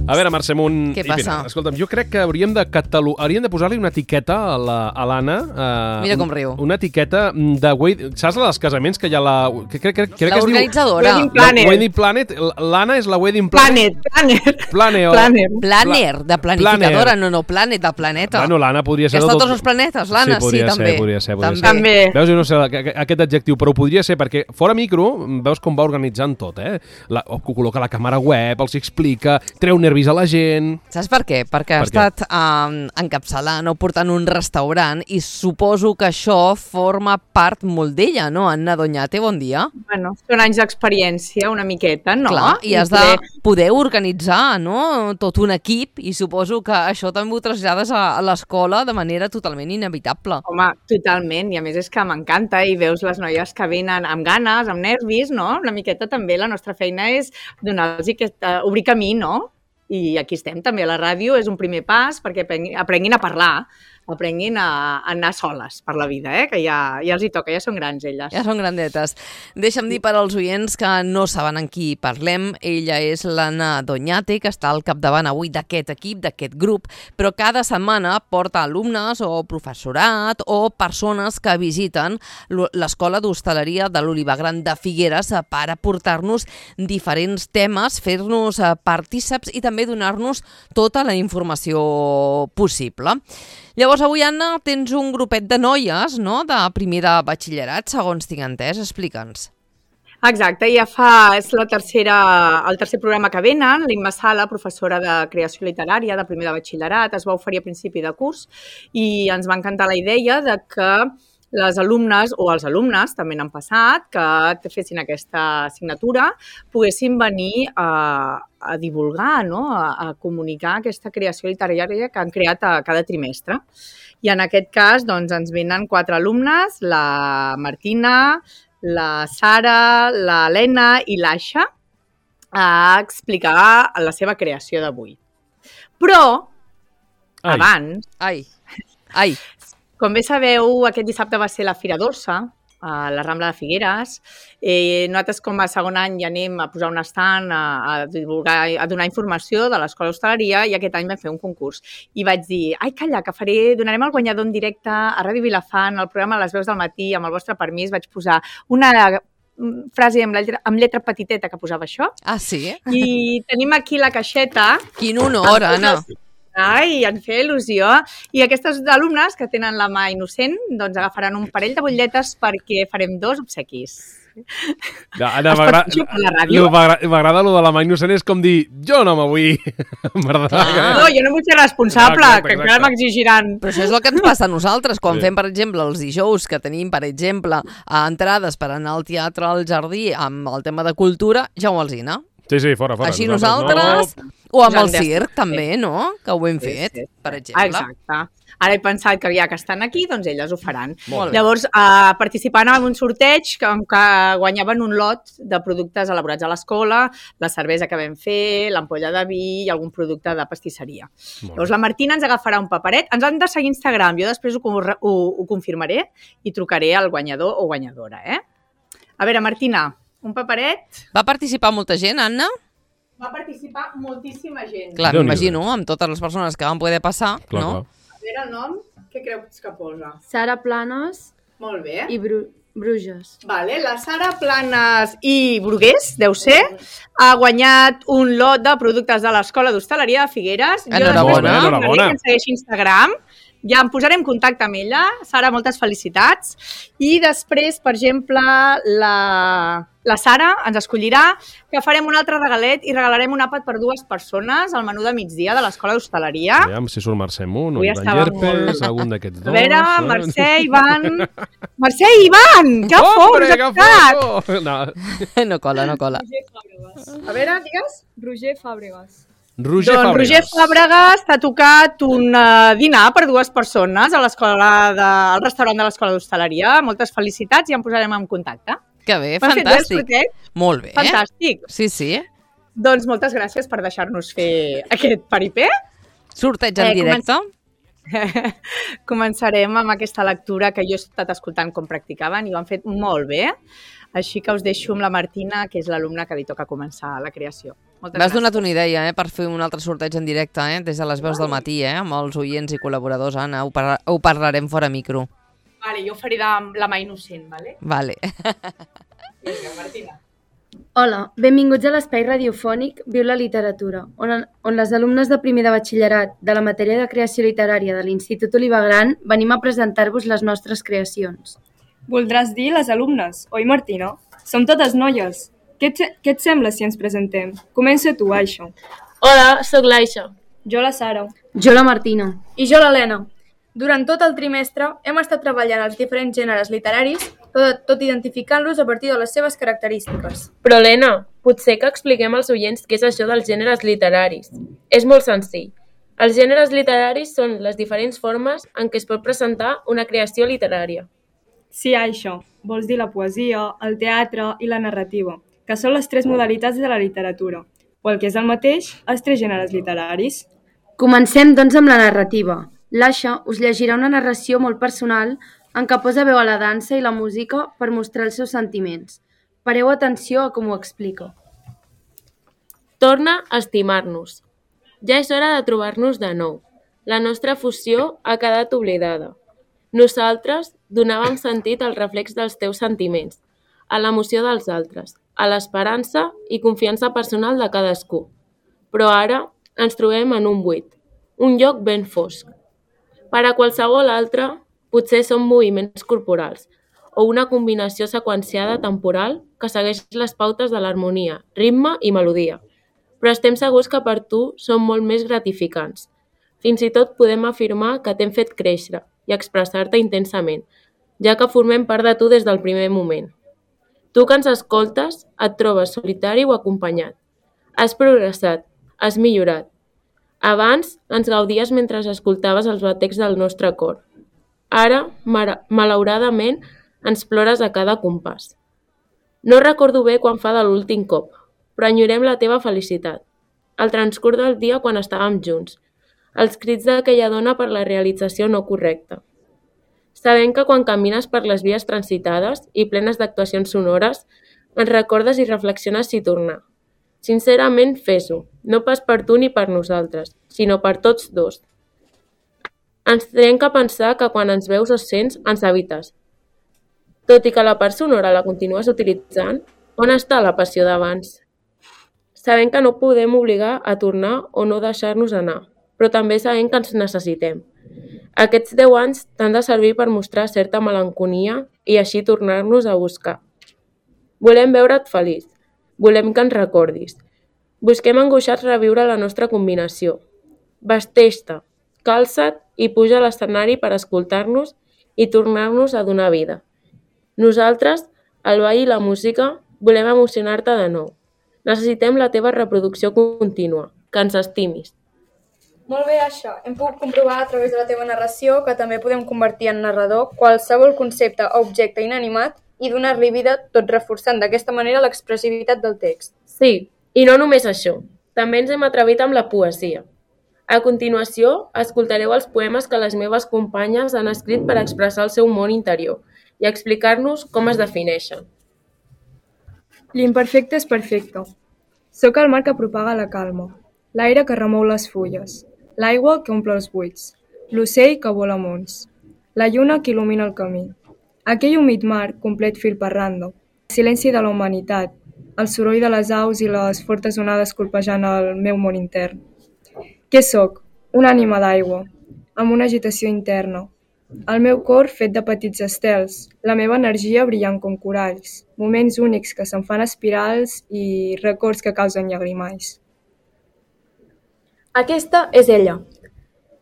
A veure, Mercè Munt... Què passa? Mira, escolta'm, jo crec que hauríem de posar-li una etiqueta a l'Anna. Mira com riu. Una etiqueta de... Saps la dels casaments que hi ha la... Crec que es diu... L'organitzadora. Wedding Planet. L'Anna és la Wedding Planet. Planner, de planificadora. No, Planet, de planeta. Bueno, l'Anna podria ser... Que està tots els planetes, l'Anna, sí, també. Podria ser. També. Veus, jo no sé aquest adjectiu, però ho podria ser perquè fora micro veus com va organitzant tot, col·loca la càmera web, els explica, treu nervis a la gent... Saps per què? Perquè ha estat encapçalant o portant un restaurant i suposo que això forma part molt d'ella, no? Anna Doñate, bon dia. Bueno, són anys d'experiència, una miqueta, no? Clar, i has de poder organitzar, no? Tot un equip, i suposo que això també ho trasllades a l'escola de manera totalment inevitable. Home, totalment, i a més és que m'encanta, i veus les noies que venen amb ganes, amb nervis, no? Una miqueta també la nostra feina és donar-los obrir camí, no? I aquí estem, també a la ràdio, és un primer pas perquè aprenguin a parlar, aprenguin a anar soles per la vida, que ja els hi toca, ja són grans elles. Ja són grandetes. Deixa'm dir per als oients que no saben en qui parlem. Ella és l'Anna Doñate, que està al capdavant avui d'aquest equip, d'aquest grup, però cada setmana porta alumnes o professorat o persones que visiten l'Escola d'Hostaleria de l'Olivar Gran de Figueres per aportar-nos diferents temes, fer-nos partíceps i també donar-nos tota la informació possible. Llavors, avui, Anna, tens un grupet de noies, no?, de primer de batxillerat, segons tinc entès. Explica'ns. Exacte, és el tercer programa que venen. L'Imma Sala, professora de creació literària de primer de batxillerat, es va oferir a principi de curs i ens va encantar la idea de que les alumnes o els alumnes, també n'han passat, que fessin aquesta assignatura, poguessin venir a divulgar, no? A comunicar aquesta creació literària que han creat cada trimestre. I en aquest cas doncs, ens venen 4 alumnes, la Martina, la Sara, l'Helena i l'Aixa, a explicar la seva creació d'avui. Però, abans... Ai! Com bé sabeu, aquest dissabte va ser la Fira Dolça, a la Rambla de Figueres. Nosaltres, com a segon any, ja anem a posar un estand, a divulgar, a donar informació de l'Escola d'Hostaleria, i aquest any vam fer un concurs. I vaig dir, calla, que donarem el guanyador en directe a Ràdio Vilafant, al programa Les Veus del Matí, amb el vostre permís, vaig posar una frase amb lletra petiteta que posava això. Ah, sí? I tenim aquí la caixeta. Quin honor, Anna! En fer il·lusió. I aquestes alumnes que tenen la mà innocent doncs agafaran un parell de butlletes perquè farem 2 obsequis. Anna, m'agrada lo de la mà innocent, és com dir, jo no me vull. No, jo no vull ser responsable, que encara m'exigiran. Però això és el que ens passa a nosaltres, quan fem, per exemple, els dijous, que tenim, per exemple, entrades per anar al Teatre al Jardí amb el tema de cultura, ja ho alzina. Sí, fora. Així nosaltres, o amb el circ també, no? Que ho hem fet, per exemple. Exacte. Ara he pensat que ja que estan aquí, doncs elles ho faran. Molt bé. Llavors, participant en un sorteig que guanyaven un lot de productes elaborats a l'escola, la cervesa que vam fer, l'ampolla de vi i algun producte de pastisseria. Llavors, la Martina ens agafarà un paperet. Ens han de seguir a Instagram. Jo després ho confirmaré i trucaré al guanyador o guanyadora. A veure, Martina, un paperet. Va participar molta gent, Anna? Va participar moltíssima gent. Clar, m'imagino, amb totes les persones que van poder passar, no? A veure el nom, què creus que posa? Sara Planes. Molt bé. I Bruges. Vale, la Sara Planes i Brugués, deu ser, ha guanyat un lot de productes de l'Escola d'Hostaleria de Figueres. Enhorabona. Que ens segueixi a Instagram. Ja em posaré en contacte amb ella. Sara, moltes felicitats. I després, per exemple, la Sara ens escollirà que farem un altre regalet i regalarem un àpat per 2 persones al menú de migdia de l'Escola d'Hostaleria. Aviam si surt Mercè Munt o Ivan Llerpes, algun d'aquests 2. A veure, Mercè, Ivan... Mercè i Ivan! Que fort! No cola. A veure, digues. Roger Fàbregas. Roger Fàbregas t'ha tocat un dinar per 2 persones al restaurant de l'Escola d'Hostaleria. Moltes felicitats i em posarem en contacte. Que bé, fantàstic. Molt bé. Fantàstic. Sí. Doncs moltes gràcies per deixar-nos fer aquest paripé. Sorteig en directe. Començarem amb aquesta lectura que jo he estat escoltant com practicaven i ho han fet molt bé. Així que us deixo amb la Martina, que és l'alumna que li toca començar la creació. Moltes M'has gràcies. donat una idea per fer un altre sorteig en directe, des de les veus del matí, amb els oients i col·laboradors, Anna. Ho parlarem fora micro. Vale, jo faré la mà innocent, vale? Vale. Vinga, Martina. Hola, benvinguts a l'espai radiofònic Viu la literatura, on les alumnes de primer de batxillerat de la matèria de creació literària de l'Institut Oliva Gran venim a presentar-vos les nostres creacions. Voldràs dir les alumnes, oi Martina? Som totes noies. Què et sembla si ens presentem? Comença tu, Aisha. Hola, sóc l'Aisha. Jo la Sara. Jo la Martina. I jo l'Helena. Durant tot el trimestre hem estat treballant els diferents gèneres literaris, tot identificant-los a partir de les seves característiques. Però, Helena, potser que expliquem als oients què és això dels gèneres literaris. És molt senzill. Els gèneres literaris són les diferents formes en què es pot presentar una creació literària. Sí, Aisha. Vols dir la poesia, el teatre i la narrativa, que són les 3 modalitats de la literatura, o el que és el mateix, els 3 gèneres literaris. Comencem, doncs, amb la narrativa. L'Aisha us llegirà una narració molt personal en què posa veu a la dansa i la música per mostrar els seus sentiments. Pareu atenció a com ho explica. Torna a estimar-nos. Ja és hora de trobar-nos de nou. La nostra fusió ha quedat oblidada. Nosaltres donàvem sentit al reflex dels teus sentiments, a l'emoció dels altres, a l'esperança i confiança personal de cadascú. Però ara ens trobem en un buit, un lloc ben fosc. Per a qualsevol altre, potser són moviments corporals o una combinació seqüenciada temporal que segueix les pautes de l'harmonia, ritme i melodia. Però estem segurs que per tu són molt més gratificants. Fins i tot podem afirmar que t'hem fet créixer i expressar-te intensament, ja que formem part de tu des del primer moment. Tu que ens escoltes, et trobes solitari o acompanyat. Has progressat, has millorat. Abans ens gaudies mentre escoltaves els batecs del nostre cor. Ara, malauradament, ens plores a cada compàs. No recordo bé quan fa de l'últim cop, però enyorem la teva felicitat. El transcurs del dia quan estàvem junts. Els crits d'aquella dona per la realització no correcta. Sabem que quan camines per les vies transitades i plenes d'actuacions sonores, ens recordes i reflexiones si tornar. Sincerament, fes-ho, no pas per tu ni per nosaltres, sinó per tots dos. Ens trenca pensar que quan ens veus o sents, ens habites. Tot i que la part sonora la continues utilitzant, on està la passió d'abans? Sabem que no podem obligar a tornar o no deixar-nos anar, però també sabem que ens necessitem. Aquests 10 anys t'han de servir per mostrar certa melancolia i així tornar-nos a buscar. Volem veure't feliç. Volem que ens recordis. Busquem angoixats reviure la nostra combinació. Vesteix-te, calça't i puja a l'escenari per escoltar-nos i tornar-nos a donar vida. Nosaltres, el ball i la música, volem emocionar-te de nou. Necessitem la teva reproducció contínua, que ens estimis. Molt bé, això. Hem pogut comprovar a través de la teva narració que també podem convertir en narrador qualsevol concepte o objecte inanimat i donar-li vida, tot reforçant d'aquesta manera l'expressivitat del text. Sí, i no només això. També ens hem atrevit amb la poesia. A continuació, escoltareu els poemes que les meves companyes han escrit per expressar el seu món interior i explicar-nos com es defineixen. L'imperfecte és perfecte. Sóc el mar que propaga la calma, l'aire que remou les fulles, l'aigua que omple els buits, l'ocell que vola amunt, la lluna que il·lumina el camí. Aquell humit mar, complet fil per randa, el silenci de la humanitat, el soroll de les aus i les fortes onades colpejant el meu món intern. Què sóc? Una ànima d'aigua, amb una agitació interna. El meu cor fet de petits estels, la meva energia brillant com coralls, moments únics que se'n fan espirals i records que causen llagrimais. Aquesta és ella.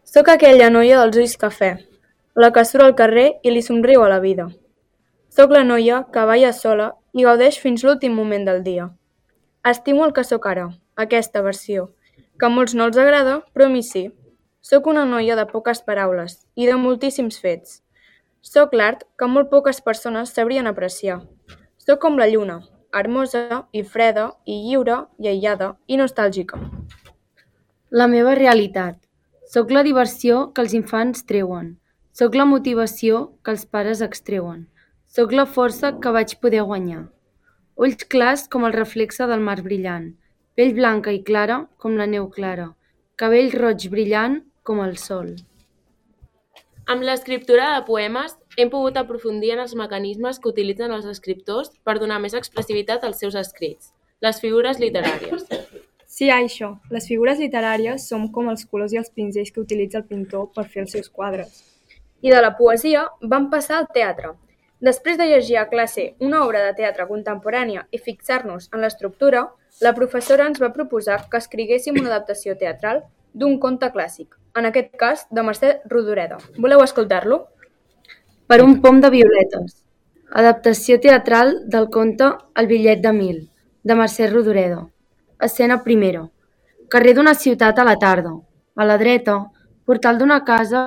Sóc aquella noia dels ulls cafè, la que surt al carrer i li somriu a la vida. Sóc la noia que balla sola i gaudeix fins l'últim moment del dia. Estimo el que sóc ara, aquesta versió, que a molts no els agrada, però a mi sí. Sóc una noia de poques paraules i de moltíssims fets. Sóc l'art que molt poques persones sabrien apreciar. Sóc com la lluna, hermosa i freda i lliure i aïllada i nostàlgica. La meva realitat. Sóc la diversió que els infants treuen. Sóc la motivació que els pares extreuen. Sóc la força que vaig poder guanyar. ulls clars com el reflexe del mar brillant, pell blanca i clara com la neu clara, cabell roig brillant com el sol. Amb l'escriptura de poemes hem pogut aprofundir en els mecanismes que utilitzen els escriptors per donar més expressivitat als seus escrits, les figures literàries. Sí, això. Les figures literàries són com els colors i els pinzells que utilitza el pintor per fer els seus quadres. I de la poesia vam passar al teatre. Després de llegir a classe una obra de teatre contemporània i fixar-nos en l'estructura, la professora ens va proposar que escriguéssim una adaptació teatral d'un conte clàssic, en aquest cas de Mercè Rodoreda. Voleu escoltar-lo? Per un pom de violetes. Adaptació teatral del conte El bitllet de 1000, de Mercè Rodoreda. Escena primera. Carrer d'una ciutat a la tarda. A la dreta, portal d'una casa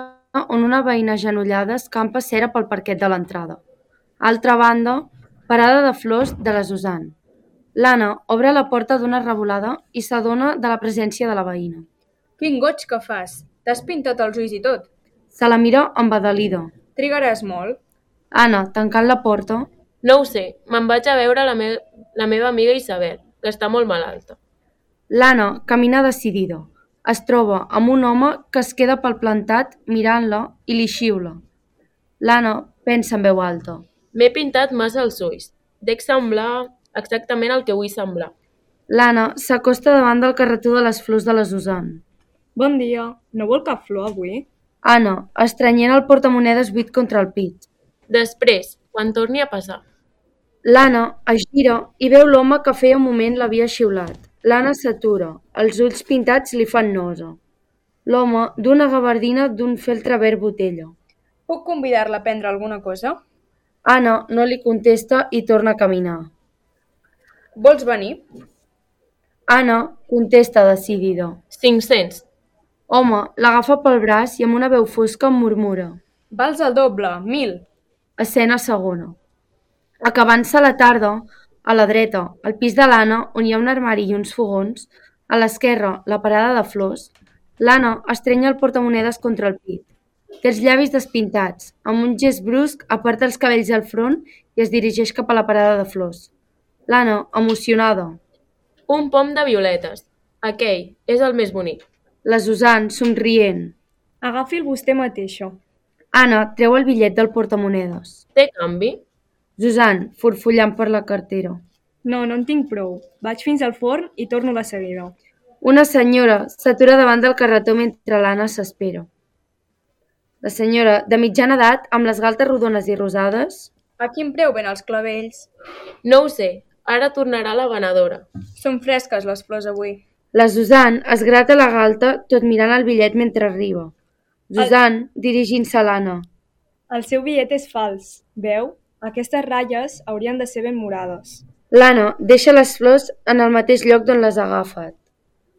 on una veïna agenollada escampa cera pel parquet de l'entrada. A altra banda, parada de flors de la Susan. L'Anna obre la porta d'una revolada i s'adona de la presència de la veïna. Quin goig que fas! T'has pintat els ulls i tot. Se la mira embadalida. Trigaràs molt? Anna, tancant la porta, No ho sé, me'n vaig a veure la meva amiga Isabel, que està molt malalta. l'Anna camina decidida. Es troba amb un home que es queda palplantat mirant-la i li xiula. L'Anna pensa en veu alta. M'he pintat massa els ulls. Dec semblar exactament el que vull semblar. L'Anna s'acosta davant del carretó de les flors de la Susan. Bon dia. No vol cap flor avui? Anna, estrenyent el portamonedes buit contra el pit. Després, quan torni a passar. L'Anna es gira i veu l'home que feia un moment l'havia xiulat. L'Anna s'atura, els ulls pintats li fan nosa. L'home d'una gabardina d'un feltre verd botella. Puc convidar-la a prendre alguna cosa? Anna no li contesta i torna a caminar. Vols venir? Anna contesta decidida. 500. Home l'agafa pel braç i amb una veu fosca em murmura. Vals el doble, 1000. Escena segona. Acabant-se la tarda, a la dreta, al pis de l'Anna, on hi ha un armari i uns fogons, a l'esquerra, la parada de flors, l'Anna estrenya el portamonedes contra el pit. Té els llavis despintats, amb un gest brusc aparta els cabells al front i es dirigeix cap a la parada de flors. L'Anna, emocionada. Un pom de violetes. Aquell és el més bonic. La Susan, somrient. Agafi-el vostè mateixa. Anna treu el bitllet del portamonedes. Té canvi? Susan, forfollant per la cartera. No, no en tinc prou. Vaig fins al forn i torno de seguida. Una senyora s'atura davant del carretó mentre l'Anna s'espera. La senyora, de mitjana edat, amb les galtes rodones i rosades... A quin preu ven els clavells? No ho sé. Ara tornarà la venedora. Són fresques les flors avui. La Susan es grata la galta tot mirant el bitllet mentre arriba. Susan, dirigint-se a l'Anna. El seu bitllet és fals. Veu? Aquestes ratlles haurien de ser ben morades. L'Anna deixa les flors en el mateix lloc d'on les ha agafat.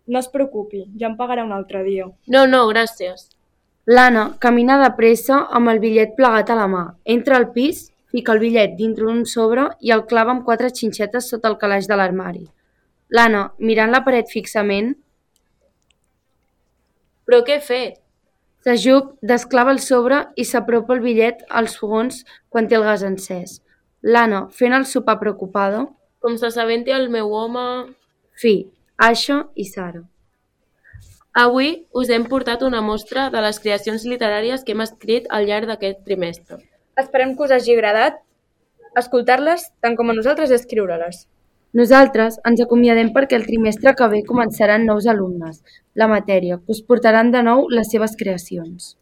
No es preocupi, ja em pagarà un altre dia. No, gràcies. L'Anna camina de pressa amb el bitllet plegat a la mà. Entra al pis, fica el bitllet dintre d'un sobre i el clava amb 4 xinxetes sota el calaix de l'armari. L'Anna, mirant la paret fixament... Però què he fet? S'ajup, desclava el sobre i s'apropa el bitllet als fogons quan té el gas encès. L'Anna, fent el sopar preocupada... Com s'assabenti el meu home... Fi, Aixa i Sara. Avui us hem portat una mostra de les creacions literàries que hem escrit al llarg d'aquest trimestre. Esperem que us hagi agradat escoltar-les tant com a nosaltres escriure-les. Nosaltres ens acomiadem perquè el trimestre que ve començaran nous alumnes, la matèria, que us portaran de nou les seves creacions.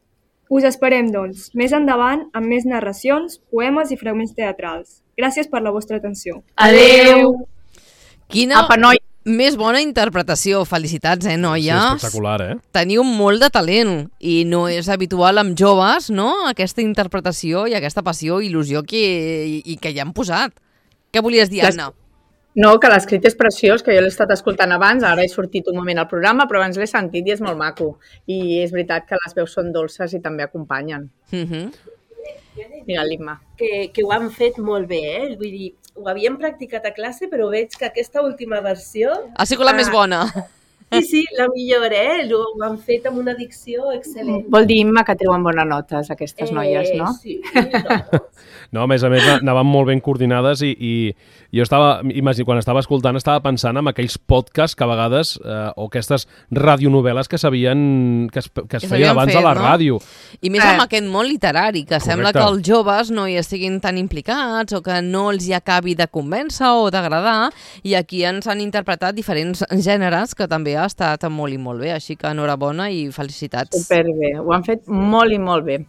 Us esperem, doncs, més endavant amb més narracions, poemes i fragments teatrals. Gràcies per la vostra atenció. Adeu! Quina Apa, noi. més bona interpretació. Felicitats, noies? Sí, espectacular, Teniu molt de talent i no és habitual amb joves, no?, aquesta interpretació i aquesta passió i il·lusió que hi han posat. Què volies dir, Anna? No, que l'escrit és preciós, que jo l'he estat escoltant abans, ara he sortit un moment al programa, però abans l'he sentit i és molt maco. I és veritat que les veus són dolces i també acompanyen. Mira, l'Imma. Que ho han fet molt bé, Vull dir, ho havíem practicat a classe, però veig que aquesta última versió... Ha sigut la més bona. Sí, la millor, ho han fet amb una dicció excel·lent. Vol dir, Imma, que treuen bones notes aquestes noies, no? Sí, no. No, a més, anaven molt ben coordinades i jo quan estava escoltant, estava pensant en aquells podcasts que a vegades, o aquestes radionovel·les que es feien abans a la ràdio. I més amb aquest món literari, que sembla que els joves no hi estiguin tan implicats o que no els hi acabi de convèncer o d'agradar, i aquí ens han interpretat diferents gèneres que també ha estat molt i molt bé, així que enhorabona i felicitats. Superbé, ho han fet molt i molt bé.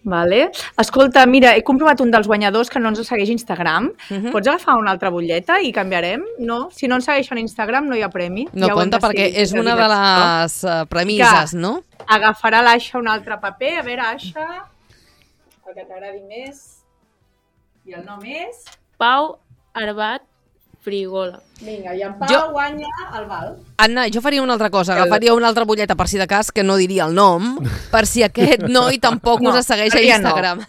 Vale. Escolta, mira, he comprovat un dels guanyadors que no ens segueix a Instagram. Pots agafar una altra butlleta i canviarem? No? Si no ens segueixen a Instagram no hi ha premi. No compta perquè és una de les premisses, no? Agafarà l'Aixa un altre paper. A veure, Aixa, el que t'agradi més. I el nom és? Pau Arbat Frigola. Vinga, i en Pau guanya el val. Anna, jo faria una altra cosa, agafaria una altra butlleta per si de cas, que no diria el nom, per si aquest noi tampoc us segueix a Instagram.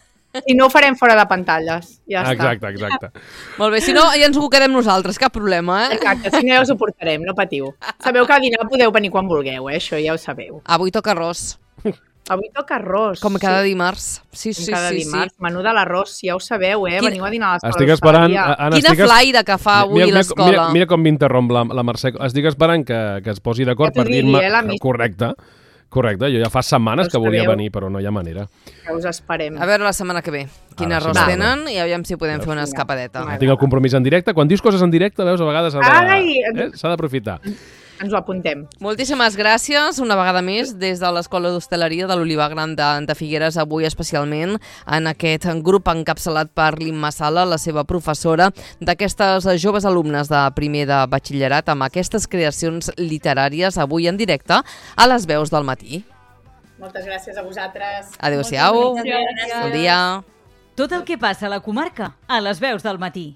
I no ho farem fora de pantalles, ja està. Exacte. Molt bé, si no ja ens ho quedem nosaltres, cap problema, Exacte, si no ja us ho portarem, no patiu. Sabeu que a dinar podeu venir quan vulgueu, això ja ho sabeu. Avui toca arròs. Avui toca arròs. Com cada dimarts. Sí. Cada dimarts, menú de l'arròs, ja ho sabeu, Veniu a dinar a l'escola. Estic esperant... Anna, quina flaire que fa avui l'escola. Mira com m'interromp la Mercè. Estic esperant que es posi d'acord per dir-me... Correcte, jo ja fa setmanes que volia venir, però no hi ha manera. Ja us esperem. A veure la setmana que ve. Quin arròs tenen i aviam si podem fer una escapadeta. Tinc el compromís en directe. Quan dius coses en directe, veus, a vegades s'ha d'aprofitar. Ens ho apuntem. Moltíssimes gràcies, una vegada més, des de l'Escola d'Hostaleria de l'Olivar Gran de Figueres, avui especialment en aquest grup encapçalat per l'Imma Sala, la seva professora, d'aquestes joves alumnes de primer de batxillerat, amb aquestes creacions literàries, avui en directe, a les veus del matí. Moltes gràcies a vosaltres. Adéu-siau. Bon dia. Tot el que passa a la comarca, a les veus del matí.